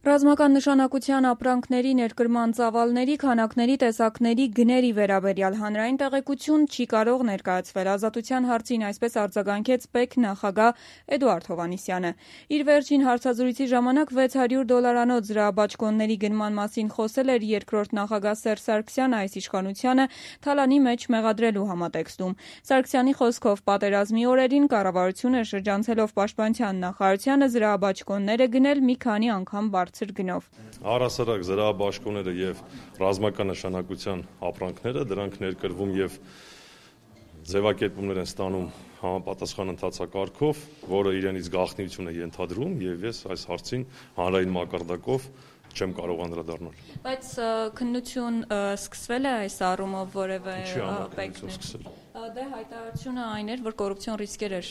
Ռազմական նշանակության ապրանքների, ներկրման ծավալների, քանակների, տեսակների, գների վերաբերյալ հանրային տեղեկություն չի կարող ներկայացվել։ Ազատության հարցին այսպես արձագանքեց ՊԵԿ նախագահ Էդուարդ Հովհաննիսյանը։ Իր վերջին հարցազրույցի ժամանակ $600 զրահաբաճկոնների գնման մասին խոսել էր երկրորդ նախագահ Սերժ Սարգսյանը այս իշխանությանը թալանի մեջ մեղադրելու համատեքստում։ Սարգսյանի խոսքով պատերազմի օրերին կառավարությունը շրջանցելով պաշտպանության նախարարությանը զրահաբաճկոններ է գնել մի քանի անգամ բարձր գնով։ Առհասարակ զրահաբաճկոնները եւ ռազմական նշանակության ապրանքները դրանք ներկրվում եւ ձևակերպումներ են ստանում համապատասխան ընթացակարգով, որը իրենից գաղտնիություն է ենթադրում եւ ես այս հարցին հանրային մակարդակով չեմ կարող անդրադառնալ։ Բայց քննություն սկսվել է այս առումով որևէ ՊԵԿ-ն։ Դե հայտարարությունը այն էր, որ կոռուպցիոն ռիսկեր էր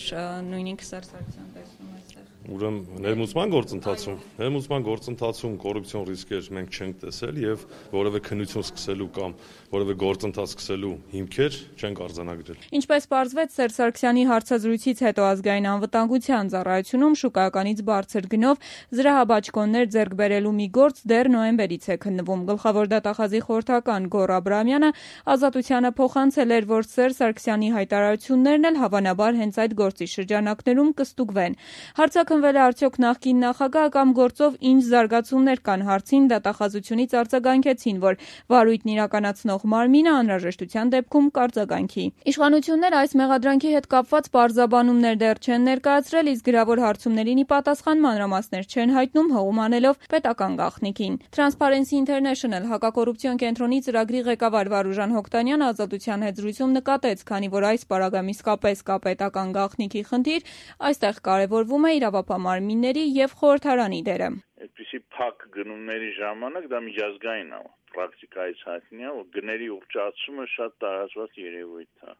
նույնիսկ Սերժ Սարգսյանը տեսնում այստեղ։ Ուրեմն ներմուծման գործընթացում կոռուպցիոն ռիսկեր մենք չենք տեսել եւ որևէ քննություն սկսելու կամ որևէ գործընթաց սկսելու հիմքեր չենք արձանագրել։ Ինչպես պարզվեց Սերժ Սարգսյանի հարցազրույցից հետո ազգային անվտանգության ծառայությունում շուկայականից բարձր գնով զրահաբաճկոններ ձեռք բերելու մի գործ դեռ նոյեմբերից է քննվում։ Գլխավոր դատախազի խորհրդական Գոռ Աբրահամյանը Ազատությանը փոխանցել էր, որ Սերժ Սարգսյանի հայտարարություններն էլ հավանաբար հենց այդ գործի շրջանակներում կստուգվեն։ Հարցաքննվել է արդյոք նախկին նախագահը կամ գործով ինչ զարգացումներ կան հարցին դատախազությունից արձագանքեցին, որ վարույթն իրականացնող մարմինը անհրաժեշտության դեպքում կարձագանքի։ Իշխանությունները այս մեղադրանքի հետ կապված պարզաբանումներ դեռ չեն ներկայացրել, իսկ գրավոր հարցումներին ի պատասխան մանրամասներ չեն հայտնում, հողում անելով պետական գաղտնիքին։ Transparency International հակակոռուպցիոն կենտրոնի ծրագրի ղեկավար Վարուժան Հոկտանյանը Ազատության հետ զրույցում նկատեց, քանի որ այս պարագայում իսկապես կա պետական գաղտնիքի խնդիր, այստեղ կարևորվում է իրավապահ եւ խորհրդարանի դերը։ Այդպիսի փակ գնումների ժամանակ դա միջազգային է, պրակտիկայից հայտնի է, որ գների ուռճացումը շատ տարածված երևույթ է։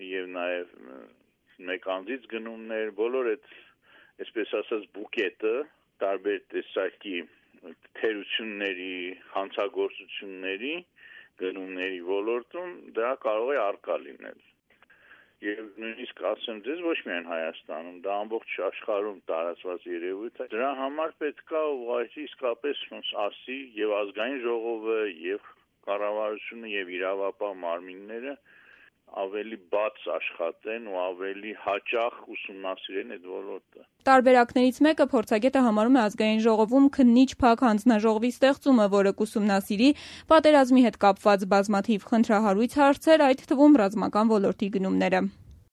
Եվ նաեւ մեկ անձից գնումներ, բոլոր այդ, այսպես ասած, բուկետը տարբեր տեսակի թերությունների, հանցագործությունների, գնումների ոլորտում դա կարող է առկա լինել։ Եվ նույնիսկ ասեմ ձեզ ոչ միայն Հայաստանում, դա ամբողջ աշխարհում տարածված երևույթ է։ Դրա համար պետք է ուղղակի իսկապես ասի եւ ազգային ժողովը եւ կառավարությունը եւ իրավապահ մարմինները ավելի բաց աշխատեն ու ավելի հաճախ ուսումնասիրեն այդ ոլորտը։ Տարբերակներից մեկը փորձագետը համարում է ազգային ժողովում քննիչ փակ հանձնաժողովի ստեղծումը, որը կուսումնասիրի պատերազմի հետ կապված բազմաթիվ խնդրահարույց հարցեր, այդ թվում ռազմական ոլորտի գնումները։